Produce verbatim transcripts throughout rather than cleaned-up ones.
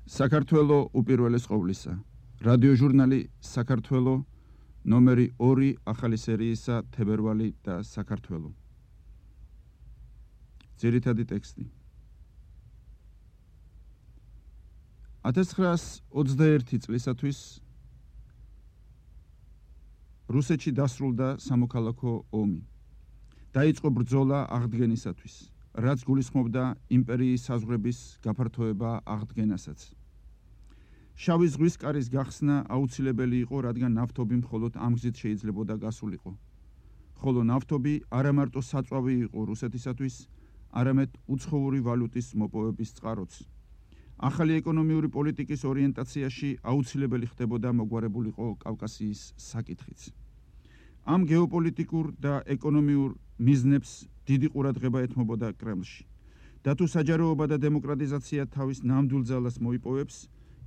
საქართველო უპირველეს ყოვლისა. რადიო ჟურნალი საქართველო ნომერი ორი ახალი სერიისა თებერვალი და საქართველო. ძირითადი ტექსტი. ათას ცხრაასი ოცდაერთი წლისათვის რუსეთში დასრულდა სამოქალაქო ომი. დაიწყო ბრძოლა აღდგენისათვის, რაც გულისხმობდა იმპერიის საზღვრების გაფართოება აღდგენასაც. შავი ზღვის კარის გახსნა აუცილებელი იყო, რადგან ნავთობი მხოლოდ ამ გზით შეიძლებოდა გასულიყო. ხოლო ნავთობი არა მარტო საწვავი იყო რუსეთისათვის, არამედ უცხოური ვალუტის მოპოვების წყაროც. ახალი ეკონომიური პოლიტიკის ორიენტაციაში აუცილებელი ხდებოდა მოგვარებულიყო კავკასიის საკითხიც. ამ გეოპოლიტიკურ და ეკონომიურ მიზნებს დიდი ყურადღება ეთმობოდა კრემლში. და თუ საჯაროობა და დემოკრატიზაცია თავის ნამდვილ ძალას მოიპოვებს,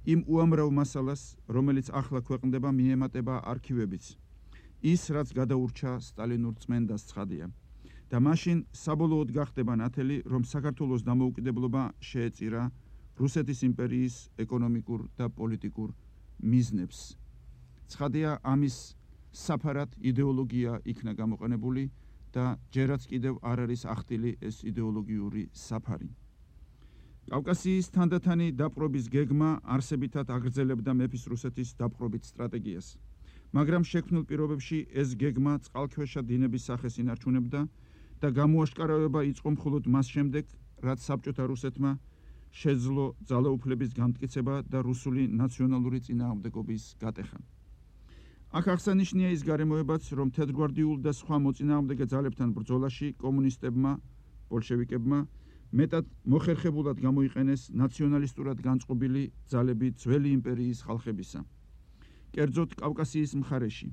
იმ უამრავ მასალას, რომელიც ახლა ქვეყნდება, მიემატება არქივებიც. ის, რაც გადაურჩა სტალინურ წმენდას ცხადია. და მაშინ საბოლოოდ გახდება ნათელი, რომ საქართველოს დამოუკიდებლობა შეეწირა რუსეთის იმპერიის ეკონომიკურ და პოლიტიკურ მიზნებს. ცხადია, ამის საფარად იდეოლოგია იქნა გამოყენებული და ჯერაც კიდევ არ არის ახდილი ეს იდეოლოგიური საფარი. კავკასიის თანდათანი დაპყრობის გეგმა არსებითად აგრძელებდა მეფის რუსეთის დაპყრობით სტრატეგიას. მაგრამ შექმნილ პირობებში ეს გეგმა წყალქვეშა დინების სახეს ინარჩუნებდა და გამოაშკარავება იწყო მხოლოდ მას შემდეგ, რაც საბჭოთა რუსეთმა შეძლო ძალაუფლების განმტკიცება და რუსული ნაციონალური წინააღმდეგობის გატეხა. აქ აღსანიშნია ის გარემოებაც, რომ თეთრგვარდიულ და სხვა მოწინააღმდეგე ძალებთან ბრძოლაში კომუნისტებმა, ბოლშევიკებმა მეტად მოხერხებულად გამოიყენეს ნაციონალისტურად განწყობილი ძალები ძველი იმპერიის ხალხებისა. კერძოდ კავკასიის მხარეში.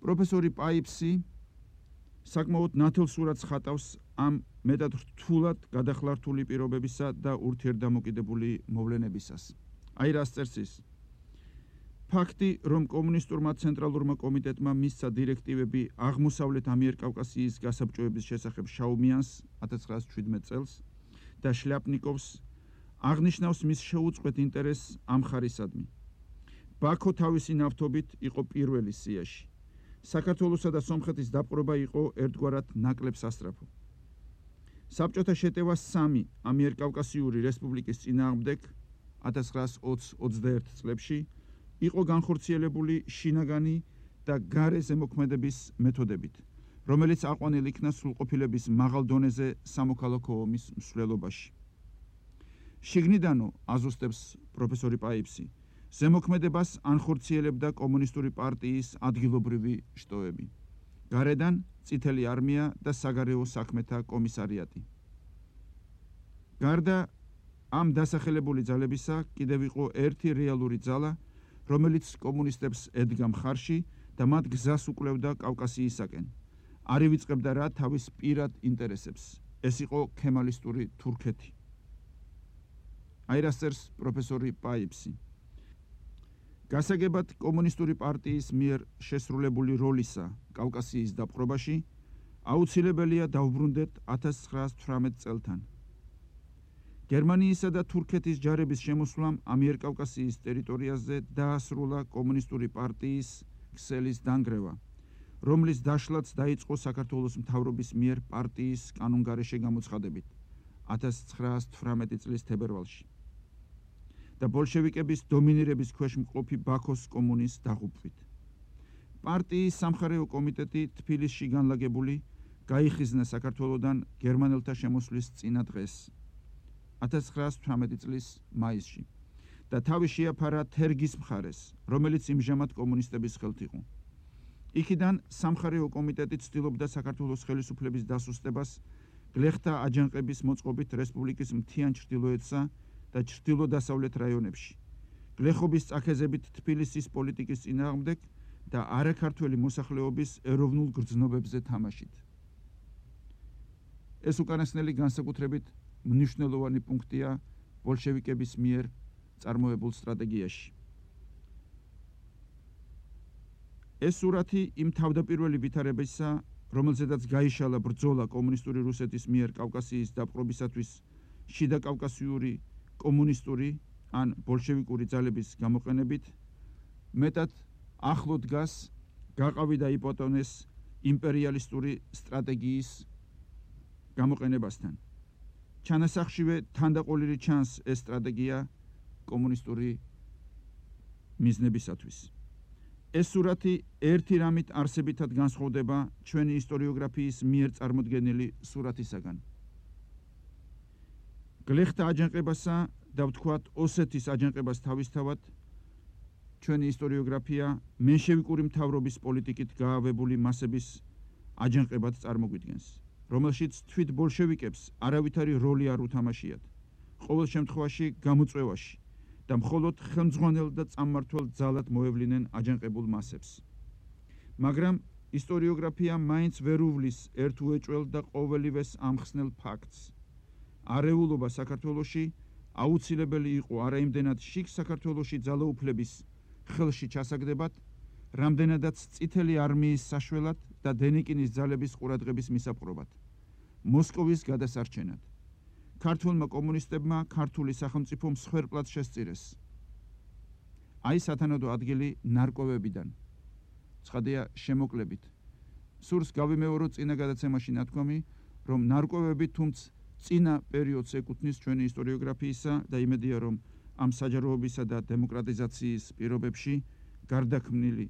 პროფესორი პაიფსი საკმაოდ ნათელ სურათს ხატავს ამ მეტად რთულად გადახლართული პირობებისა და ურთიერთდამოკიდებული მოვლენებისას. აი რას წერს ის. ფაქტი, რომ კომუნისტურმა ცენტრალურმა კომიტეტმა მისცა დირექტივები აღმოსავლეთ ამიერკავკასიის გასაბჭოების შესახებ შაუმიანს ათას ცხრაასი შვიდმეტ წელს და შლიაპნიკოვს აღნიშნავს მის შეუწყვეტ ინტერესს ამ ხარისადმი. ბაქო თავისი ნავთობით იყო პირველი სიაში. საქართველოსა და სომხეთის დაპყრობა იყო ერთგვარად ნაკლებ სასწრაფო. საბჭოთა შეტევა სამი ამიერკავკასიური რესპუბლიკის წინააღმდეგ ათას ცხრაასი ოცდაერთი წლებში იყო განხორციელებული შინაგანი და გარე ზემოქმედების მეთოდებით, რომელიც აყვანილ იქნა სრულყოფილების მაღალ დონეზე სამოქალაქო ომის მსვლელობაში. შიგნიდანო, აზუსტებს პროფესორი პაიფსი, ზემოქმედებას ანხორციელებდა კომუნისტური პარტიის ადგილობრივი შტოები. გარედან წითელი არმია და საგარეო საქმეთა კომისარიატი. გარდა ამ დასახელებული ძალებისა, კიდევ იყო ერთი რეალური ძალა, რომელიც კომუნისტებს ედგა მხარში და მათ გზას უკვლევდა კავკასიისაკენ. არ ივიწყებდა რა თავის პირად ინტერესებს. ეს იყო ქემალისტური თურქეთი. აი რას წერს პროფესორი პაიფსი. გასაგებად კომუნისტური პარტიის მიერ შესრულებული როლისა კავკასიის დაპყრობაში აუცილებელია დავბრუნდეთ ათას ცხრაასი თვრამეტ წელთან. გერმანიისა და თურქეთის ჯარების შემოსვლამ ამიერკავკასიის ტერიტორიაზე დაასრულა კომუნისტური პარტიის ქსელის დანგრევა, რომლის დაშლაც დაიწყო საქართველოს მთავრობის მიერ პარტიის კანონგარეშე გამოცხადებით ათას ცხრაასი თვრამეტი წლის თებერვალში და ბოლშევიკების დომინირების ქვეშ მყოფი ბაქოს კომუნის დაღუპვით. პარტიის სამხარეო კომიტეტი თბილისში განლაგებული გაიხიზნა საქართველოდან გერმანელთა შემოსვლის წინა დღეს ათას ცხრაასი თვრამეტი წლის მაისში და თავი შეაფარა თერგის მხარეს, რომელიც იმჟამად კომუნისტების ხელთ იყო. იქიდან სამხარეო კომიტეტი ცდილობდა საქართველოს ხელისუფლების დასუსტებას გლეხთა აჯანყების მოწყობით რესპუბლიკის მთიან ჩრდილოეთსა და ჩრდილო-დასავლეთ რაიონებში, გლეხობის წაქეზებით თბილისის პოლიტიკის წინააღმდეგ და არაქართველი მოსახლეობის ეროვნულ გრძნობებზე თამაშით. ეს უკანასკნელი განსაკუთრებით მნიშვნელოვანი პუნქტია ბოლშევიკების მიერ წარმოებულ სტრატეგიაში. ეს სურათი იმ თავდაპირველი ვითარებისა, რომელზედაც გაიშალა ბრძოლა კომუნისტური რუსეთის მიერ კავკასიის დაპყრობისათვის შიდა კავკასიური კომუნისტური ან ბოლშევიკური ძალების გამოყენებით მეტად ახლო დგას გაყავი და იპოტონეს იმპერიალისტური სტრატეგიის გამოყენებასთან. ჩანასახშივე თანდაყოლილი ჩანს ეს სტრატეგია კომუნისტური მიზნებისათვის. ეს სურათი ერთი რამით არსებითად განსხვავდება ჩვენი ისტორიოგრაფიის მიერ წარმოდგენილი სურათისაგან. გლეხთა აჯანყებასა და ვთქვათ ოსეთის აჯანყებას თავისთავად ჩვენი ისტორიოგრაფია მენშევიკური მთავრობის პოლიტიკით გაავებული მასების აჯანყებად წარმოგვიდგენს, რომელშიც თვით ბოლშევიკებს არავითარი როლი არ უთამაშიათ, ყოველ შემთხვევაში გამოწვევაში და მხოლოდ ხელმძღვანელ და წამმართველ ძალად მოევლინენ აჯანყებულ მასებს. მაგრამ ისტორიოგრაფია მაინც ვერ უვლის ერთუეჭველ და ყოველივეს ამხსნელ ფაქტს. არეულობა საქართველოში აუცილებელი იყო არა იმდენად შიგ საქართველოში ძალაუფლების ხელში ჩასაგდებად, რამდენადაც წითელი არმიის საშველად და დენიკინის ძალების ყურადღების მისაპყრობად, მოსკოვის გადასარჩენად. ქართულმა კომუნისტებმა ქართული სახელმწიფო მსხვერპლად შესწირეს. აი სათანადო ადგილი ნარკვევებიდან. ცხადია შემოკლებით. სურს გავიმეორო წინა გადაცემაში ნათქვამი, რომ ნარკვევები თუმც წინა პერიოდს ეკუთვნის ჩვენი ისტორიოგრაფიისა და იმედია, რომ ამ საჯაროობისა და დემოკრატიზაციის პირობებში გარდაქმნილი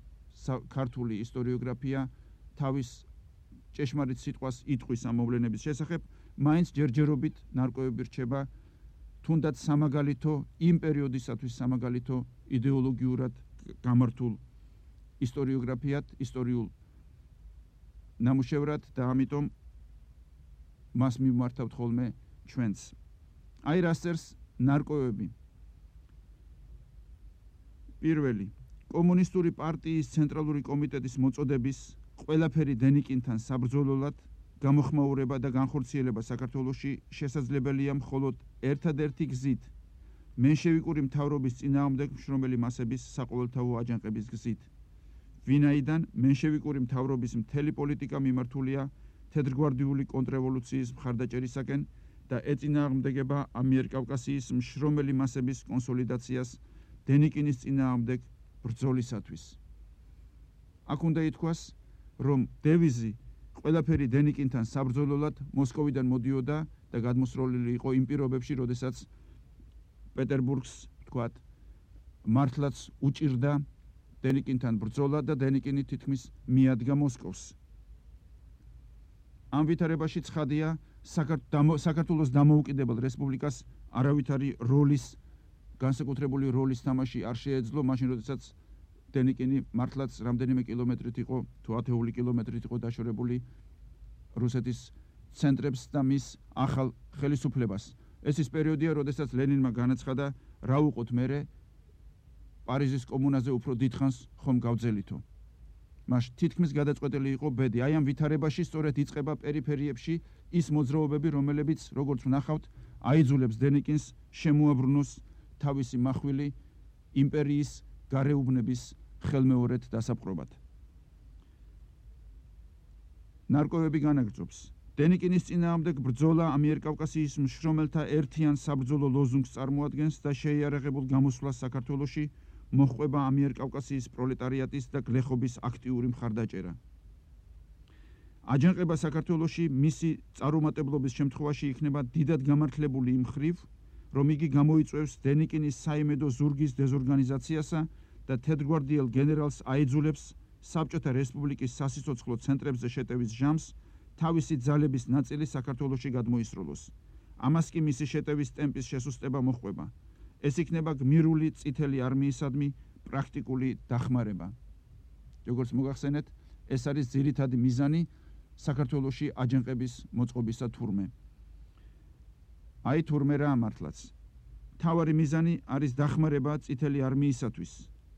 ქართული ისტორიოგრაფია თავის ჭეშმარიტ სიტყვას იტყვის ამ მოვლენების შესახებ, მაინც ჯერჯერობით ნარკვევები რჩება თუნდაც სამაგალითო იმ პერიოდისათვის სამაგალითო იდეოლოგიურად გამართულ ისტორიოგრაფიად, ისტორიულ ნამუშევრად და ამიტომ მას მიმართავთ ხოლმე ჩვენც. აი რას წერს ნარკვევები. პირველი, კომუნისტური პარტიის ცენტრალური კომიტეტის მოწოდების ყველაფერი დენიკინთან საბრძოლველად გამოხმაურება და განხორციელება საქართველოში შესაძლებელია მხოლოდ ერთადერთი გზით, მენშევიკური მთავრობის წინააღმდეგ მშრომელი მასების საყოველთაო აჯანყების გზით. ვინაიდან მენშევიკური მთავრობის მთელი პოლიტიკა მიმართულია თეთრგვარდიული კონტრრევოლუციის მხარდაჭერისაკენ და ეწინააღმდეგება ამიერკავკასიის მშრომელი მასების კონსოლიდაციას დენიკინის წინააღმდეგ ბრძოლისათვის. აქ უნდა ითქვას, რომ დევიზი ყველაფერი დენიკინთან საბრძოლველად მოსკოვიდან მოდიოდა და გადმოსროლილი იყო იმ პირობებში, როდესაც პეტერბურგს, ვთქვათ, მართლაც უჭირდა დენიკინთან ბრძოლა და დენიკინი თითქმის მიადგა მოსკოვს. ამ ვითარებაში ცხადია საქართველოს დამოუკიდებელ რესპუბლიკას არავითარი როლის, განსაკუთრებული როლის თამაში არ შეეძლო, მაშინ როდესაც დენიკინი მართლაც რამდენიმე კილომეტრით იყო, თუ ათეული კილომეტრით იყო დაშორებული რუსეთის ცენტრებს და მის ახალ ხელისუფლებას. ეს ის პერიოდია, როდესაც ლენინმა განაცხადა, რა უყოთ მერე პარიზის კომუნაზე უფრო დიდხანს ხომ გავძელითო. მას თითქმის გადაწყვეტილი იყო ბედი. აი ამ ვითარებაში სწორედ იწყება პერიფერიებში ის მოძრაობები, რომელებიც, როგორც ვნახავთ, აიძულებს დენიკინს შემოაბრუნოს თავისი მახვილი იმპერიის გარეუბნების ხელმეორედ დასაპყრობად. ნარკვევები განაგრძობს. დენიკინის წინააღმდეგ ბრძოლა ამიერკავკასიის მშრომელთა ერთიან საბრძოლო ლოზუნგს წარმოადგენს და შეიარაღებულ გამოსვლას საქართველოში მოჰყვება ამიერკავკასიის პროლეტარიატის და გლეხობის აქტიური მხარდაჭერა. აჯანყება საქართველოში მისი წარუმატებლობის შემთხვევაში იქნება დიდად გამართლებული იმ მხრივ, რომ იგი გამოიწვევს დენიკინის საიმედო ზურგის დეზორგანიზაციასა და თეთრგვარდიელ გენერალს აიძულებს საბჭოთა რესპუბლიკის სასიცოცხლო ცენტრებზე შეტევის ჟამს თავისი ძალების ნაწილი საქართველოში გადმოისროლოს. ამას კი მისი შეტევის ტემპის შესუსტება მოჰყვება. ეს იქნება გმირული წითელი არმიისადმი პრაქტიკული დახმარება. როგორც მოგახსენეთ, ეს არის ძირითადი მიზანი საქართველოში აჯანყების მოწყობისა თურმე. აი თურმე რა მართლაც. მთავარი მიზანი არის დახმარება წითელი არმიისათვის,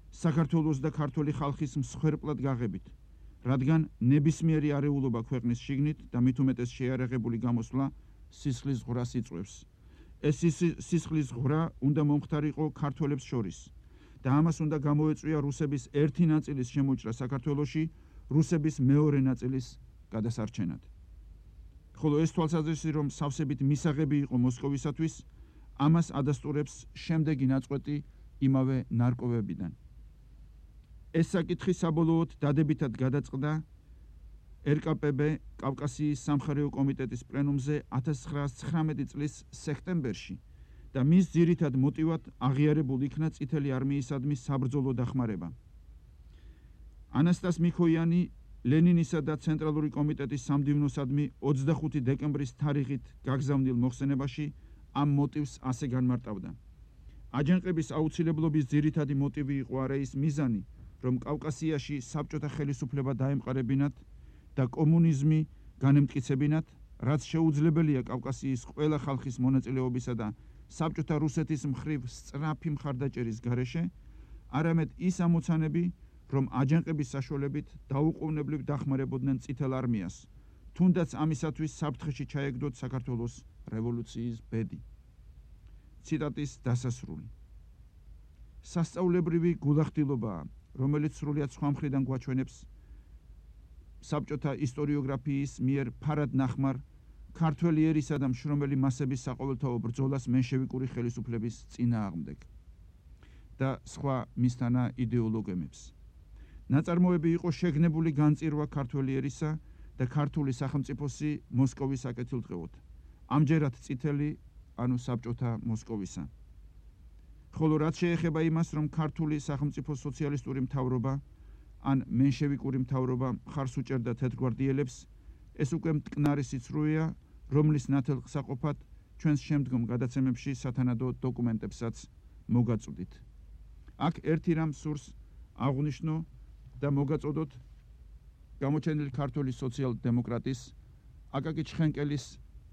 საქართველოს და ქართული ხალხის მსხვერპლად გაღებით, რადგან ნებისმიერი არეულობა ქვეყნის შიგნით და მით უმეტეს შეიარაღებული გამოსვლა სისხლის ღვრას იწვევს. ეს სისხლის ღვრა უნდა მომხდარიყო ქართველებს შორის და ამას უნდა გამოეწვია რუსების ერთი ნაწილის შემოჭრა საქართველოში რუსების მეორე ნაწილის გადასარჩენად. ხოლო ეს თვალსაზრისი, რომ სავსებით მისაღები იყო მოსკოვისათვის, ამას ადასტურებს შემდეგი ნაწყვეტი იმავე ნარკვევებიდან. ეს საკითხი საბოლოოდ დადებითად გადაწყდა ერ კა პე ბე კავკასიის სამხარეო კომიტეტის პლენუმზე ათას ცხრაასი ცხრამეტი წლის სექტემბერში და მის ძირითად მოტივად აღიარებულ იქნა წითელი არმიისადმი საბრძოლო დახმარება. ანასტას მიქოიანი ლენინისა და ცენტრალური კომიტეტის სამდივნოსადმი ოცდახუთი დეკემბრის თარიღით გაგზავნილ მოხსენებაში ამ მოტივს ასე განმარტავდა. აჯანყების აუცილებლობის ძირითადი მოტივი იყო არა ის მიზანი, რომ კავკასიაში საბჭოთა ხელისუფლება დაემყარებინათ და კომუნიზმი განემტკიცებინათ, რაც შეუძლებელია კავკასიის ყველა ხალხის მონაწილეობისა და საბჭოთა რუსეთის მხრივ სწრაფი მხარდაჭერის გარეშე, არამედ ის ამოცანები, რომ აჯანყების საშუალებით დაუყოვნებლივ დახმარებოდნენ წითელ არმიას, თუნდაც ამისათვის საფრთხეში ჩაეგდოთ საქართველოს რევოლუციის ბედი. ციტატის დასასრული. სასწაულებრივი გულახდილობაა, რომელიც სრულიად სხვა მხრიდან გვაჩვენებს საბჭოთა ისტორიოგრაფიის მიერ ფარად ნახმარ ქართველი ერისა და მშრომელი მასების საყოველთაო ბრძოლას მენშევიკური ხელისუფლების წინააღმდეგ და სხვა მისთანა იდეოლოგემებს. ნაწარმოები იყო შეგნებული განწირვა ქართველი ერისა და ქართული სახელმწიფოსი მოსკოვის საკეთილდღეოდ, ამჯერად წითელი, ანუ საბჭოთა მოსკოვისა. ხოლო რაც შეეხება იმას, რომ ქართული სახელმწიფო სოციალისტური მთავრობა ან მენშევიკური მთავრობა მხარს უჭერდა თეთრგვარდიელებს, ეს უკვე მტკნარი სიცრუეა, რომლის ნათელსაყოფად ჩვენს შემდგომ გადაცემებში სათანადო დოკუმენტებსაც მოგაწვდით. აქ ერთი რამ სურს აღვნიშნო და მოგაწოდოთ გამოჩენილი ქართული სოციალ-დემოკრატის აკაკი ჩხენკელის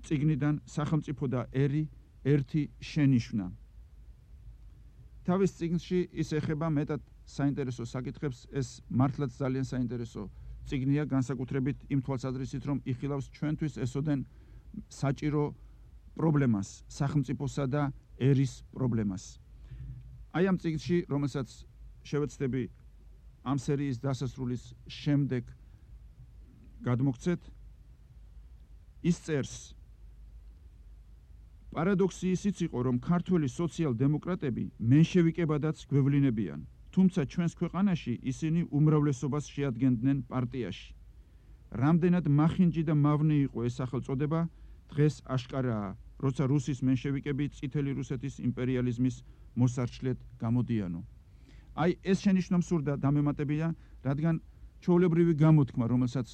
წიგნიდან სახელმწიფო და ერი ერთი შენიშვნა. თავის წიგნში ის ეხება მეტად საინტერესო საკითხებს, ეს მართლაც ძალიან საინტერესო წიგნია, განსაკუთრებით იმ თვალსაზრისით, რომ იხილავს ჩვენთვის ესოდენ საჭირო პრობლემას, სახელმწიფოსა და ერის პრობლემას. აი ამ წიგნში, რომელსაც შევეცდები ამ სერიის დასასრულის შემდეგ გადმოგცეთ, ის წერს: პარადოქსი ისიც იყო, რომ ქართველი სოციალ-დემოკრატები მენშევიკებადაც გვევლინებიან, თუმცა ჩვენს ქვეყანაში ისინი უმრავლესობას შეადგენდნენ პარტიაში. რამდენად მახინჯი და მავნე იყო ეს სახელწოდება, დღეს აშკარაა, როცა რუსის მენშევიკები წითელი რუსეთის იმპერიალიზმის მოსარჩლედ გამოდიანო. აი ეს შენიშვნა მსურდა დამემატებია, რადგან ჩვეულებრივი გამოთქმა, რომელსაც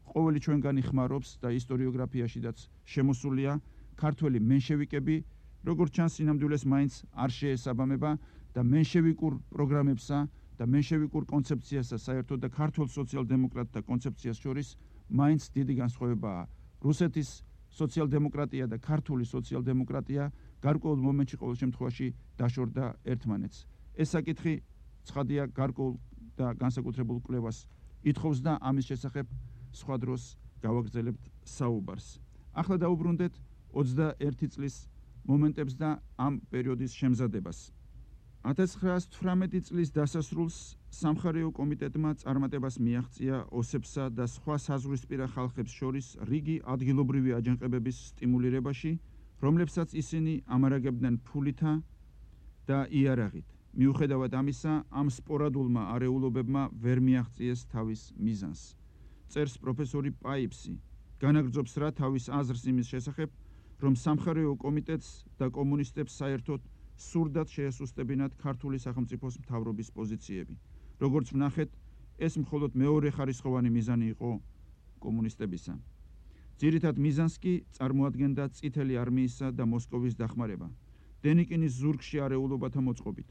ყოველი ჩვენგანი ხმარობს და ისტორიოგრაფიაშიდაც შემოსულია, ქართველი მენშევიკები, როგორც ჩანს, სინამდვილეს მაინც არ შეესაბამება და მენშევიკურ პროგრამებსა და მენშევიკურ კონცეფციასა საერთოდ და ქართულ სოციალ-დემოკრატთა კონცეფციას შორის მაინც დიდი განსხვავებაა. რუსეთის სოციალ-დემოკრატია და ქართული სოციალ-დემოკრატია გარკვეულ მომენტში ყოველ შემთხვევაში დაშორდა ერთმანეთს. ეს საკითხი ცხადია გარკვეულ და განსაკუთრებულ კვლევას ითხოვს და ამის შესახებ სხვა დროს გავაგრძელებთ საუბარს. ახლა დაუბრუნდეთ ოცდაერთი წლის მომენტებს და ამ პერიოდის შემზადებას. ათას ცხრაასი თვრამეტი წლის დასასრულს სამხარეო კომიტეტმა წარმატებას მიაღწია ოსებსა და სხვა საზღვრისპირა ხალხებს შორის რიგი ადგილობრივი აჯანყებების სტიმულირებაში, რომლებსაც ისინი ამარაგებდნენ ფულითა და იარაღით. მიუხედავად ამისა, ამ სპორადულმა არეულობებმა ვერ მიაღწიეს თავის მიზანს. წერს პროფესორი პაიფსი, განაგრძობს რა თავის აზრს იმის შესახებ, რომ სამხარეო კომიტეტს და კომუნისტებს საერთოდ სურდათ შეესუსტებინათ ქართული სახელმწიფოს მთავრობის პოზიციები. როგორც ვნახეთ, ეს მხოლოდ მეორე ხარისხოვანი მიზანი იყო კომუნისტებისა. ძირითად მიზანს კი წარმოადგენდა წითელი არმიისა და მოსკოვის დახმარება, დენიკინის ზურგში არეულობათა მოწყობით.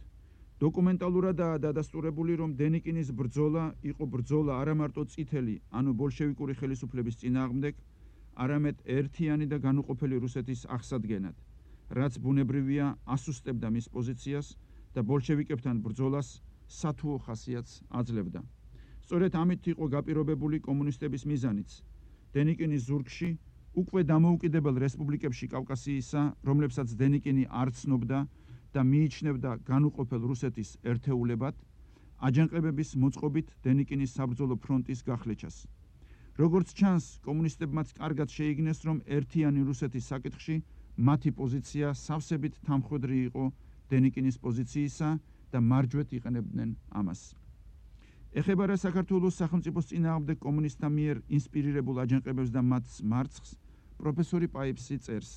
დოკუმენტალურადაა დადასტურებული, რომ დენიკინის ბრძოლა იყო ბრძოლა არა მარტო წითელი, ანუ ბოლშევიკური ხელისუფლების წინააღმდეგ, არამედ ერთიანი და განუყოფელი რუსეთის აღსადგენად, რაც ბუნებრივია ასუსტებდა მის პოზიციას და ბოლშევიკებთან ბრძოლას სათუო ხასიათს აძლევდა. სწორედ ამით იყო გაპირობებული კომუნისტების მიზანიც. დენიკინის ზურგში უკვე დამოუკიდებელ რესპუბლიკებში კავკასიისა, რომლებსაც დენიკინი არ ცნობდა და მიიჩნევდა განუყოფელ რუსეთის ერთეულებად, აჯანყებების მოწყობით დენიკინის საბრძოლო ფრონტის გახლეჩას. როგორც ჩანს, კომუნისტებმაც კარგად შეიგნეს, რომ ერთიანი რუსეთის საკითხში მათი პოზიცია სავსებით თამხვედრი იყო დენიკინის პოზიციისა და მარჯვეთ იყენებდნენ ამას. ეხება საქართველოს სახელმწიფოს წინააღმდეგ კომუნისტთა მიერ ინსპირირებულ აჯანყებებს და მათ მარცხს, პროფესორი პაიფსი წერს.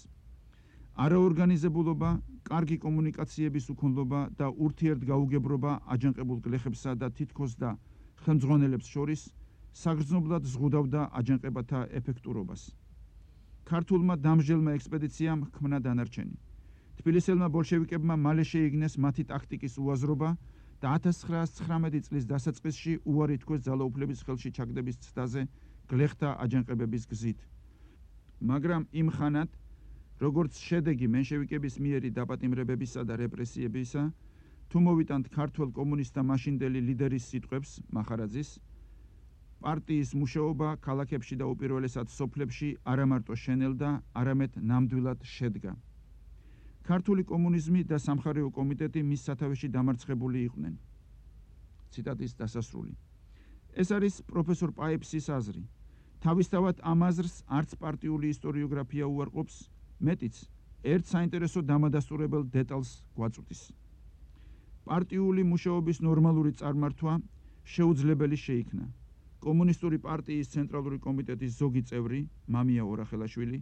არაორგანიზებულობა, კარგი კომუნიკაციების უქონლობა და ურთიერთგაუგებრობა აჯანყებულ გლეხებსა და თითქოს და ხელმძღვანელებს შორის საგრძნობლად ზღუდავდა აჯანყებათა ეფექტურობას. ქართულმა დამსჯელმა ექსპედიციამ ჰქმნა დანარჩენი. თბილისელმა ბოლშევიკებმა მალე შეიგნეს მათი ტაქტიკის უაზრობა და ათას ცხრაას ცხრამეტი წლის დასაწყისში უარი თქვეს ძალაუფლების ხელში ჩაგდების ცდაზე გლეხთა აჯანყებების გზით. მაგრამ იმ ხანად, როგორც შედეგი მენშევიკების მიერი დაპატიმრებებისა და რეპრესიებისა, თუ მოვიტანთ ქართველ კომუნისტთა მაშინდელი ლიდერის სიტყვებს, მახარაძის, პარტიის მუშაობა ქალაქებში და უპირველესად სოფლებში არამარტო შენელდა, არამედ ნამდვილად შედგა. ქართული კომუნიზმი და სამხარეო კომიტეტი მის სათავეში დამარცხებული იყვნენ. ციტატის დასასრული. ეს არის პროფესორ პაიფსის აზრი. თავისთავად ამ აზრს არც პარტიული ისტორიოგრაფია უარყოფს, მეტიც ერთ საინტერესო დამადასტურებელ დეტალს გვაწვდის. პარტიული მუშაობის ნორმალური წარმართვა შეუძლებელი შეიქნა. კომუნისტური პარტიის ცენტრალური კომიტეტის ზოგი წევრი, მამია ორახელაშვილი,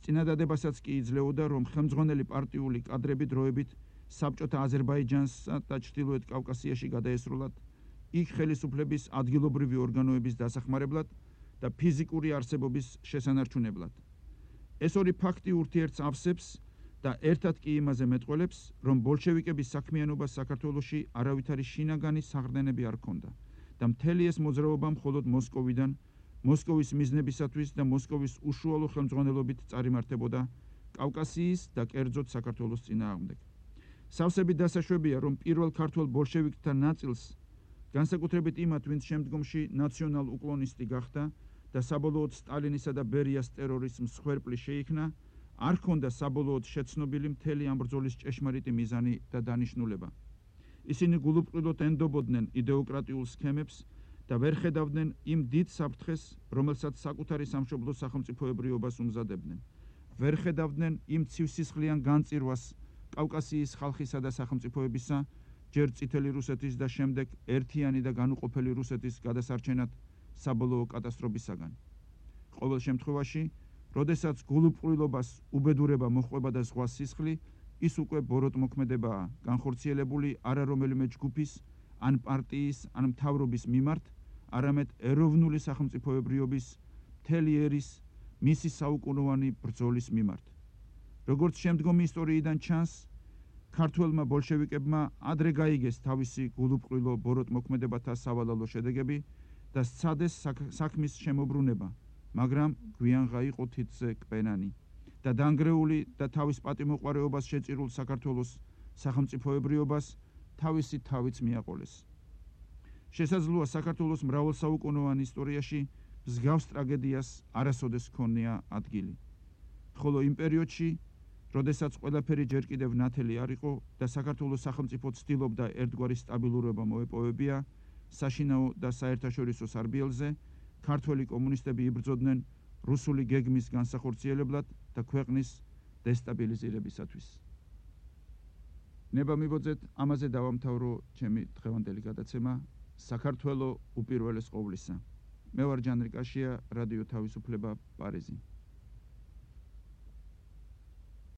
წინადადებასაც კი იძლეოდა, რომ ხელმძღვანელი პარტიული კადრები დროებით საბჭოთა აზერბაიჯანსა და ჩრდილოეთ კავკასიაში გადაესროლათ, იქ ხელისუფლების ადგილობრივი ორგანოების დასახმარებლად და ფიზიკური არსებობის შესანარჩუნებლად. ეს ორი ფაქტი ურთიერთს ავსებს და ერთად კი იმაზე მეტყველებს, რომ ბოლშევიკების საქმიანობას საქართველოში არავითარი შინაგანი საყრდენები არ ჰქონდა და მთელი ეს მოძრაობა მხოლოდ მოსკოვიდან, მოსკოვის მიზნებისათვის და მოსკოვის უშუალო ხელმძღვანელობით წარიმართებოდა კავკასიის და კერძოდ საქართველოს წინააღმდეგ. სავსებით დასაშვებია, რომ პირველ ქართველ ბოლშევიკთა ნაწილს, განსაკუთრებით იმათ, ვინც შემდგომში ნაციონალ უკლონისტი გახდა და საბოლოოდ სტალინისა და ბერიას ტერორის მსხვერპლი შეიქნა, არ ჰქონდა საბოლოოდ შეცნობილი მთელი ამ ბრძოლის ჭეშმარიტი მიზანი და დანიშნულება. ისინი გულუბრყვილოდ ენდობოდნენ იდეოკრატიულ სქემებს და ვერ ხედავდნენ იმ დიდ საფრთხეს, რომელსაც საკუთარი სამშობლოს სახელმწიფოებრიობას უმზადებდნენ. ვერ ხედავდნენ იმ ცივსისხლიან განწირვას კავკასიის ხალხისა და სახელმწიფოებისა, ჯერ წითელი რუსეთის და შემდეგ ერთიანი და განუყოფელი რუსეთის გადასარჩენად საბოლოო კატასტროფისაგან. ყოველ შემთხვევაში, როდესაც გულუბრყვილობას უბედურება მოჰყვება და ზღვა სისხლი, ის უკვე ბოროტმოქმედებაა, განხორციელებული არა რომელიმე ჯგუფის, ან პარტიის, ან მთავრობის მიმართ, არამედ ეროვნული სახელმწიფოებრიობის მთელი ერის მისი საუკუნოვანი ბრძოლის მიმართ. როგორც შემდგომი ისტორიიდან ჩანს, ქართველმა ბოლშევიკებმა ადრე გაიგეს თავისი გულუბრყვილო ბოროტმოქმედებათა სავალალო შედეგები და სცადეს საქმის შემოbrunება, მაგრამ გვიანღა იყო თითზე კპენანი და დანგრეული და თავის პატიმოყვარეობას შეწირულ საქართველოს სახელმწიფოებრიობას თავისი თავიც მიაყოლეს. შესაძლოა საქართველოს მრავალსაუკუნოვან ისტორიაში მსგავს ტრაგედიას არასოდეს ჰქონია ადგილი. ხოლო იმ პერიოდში, როდესაც ყველაფერი ჯერ კიდევ ნათელი არ იყო და საქართველოს სახელმწიფო ცდილობდა ერთგვარი სტაბილურობა მოეპოვებია, საშინაო და საერთაშორისო სარბიელზე, ქართველი კომუნისტები იბრძოდნენ რუსული გეგმის განსახორციელებლად და ქვეყნის დესტაბილიზირებისათვის. ნება მიბოძეთ, ამაზე დავამთავრო ჩემი დღევანდელი გადაცემა საქართველო უპირველეს ყოვლისა. მე ვარ ჯანრი კაშია, რადიო თავისუფლება, პარიზი.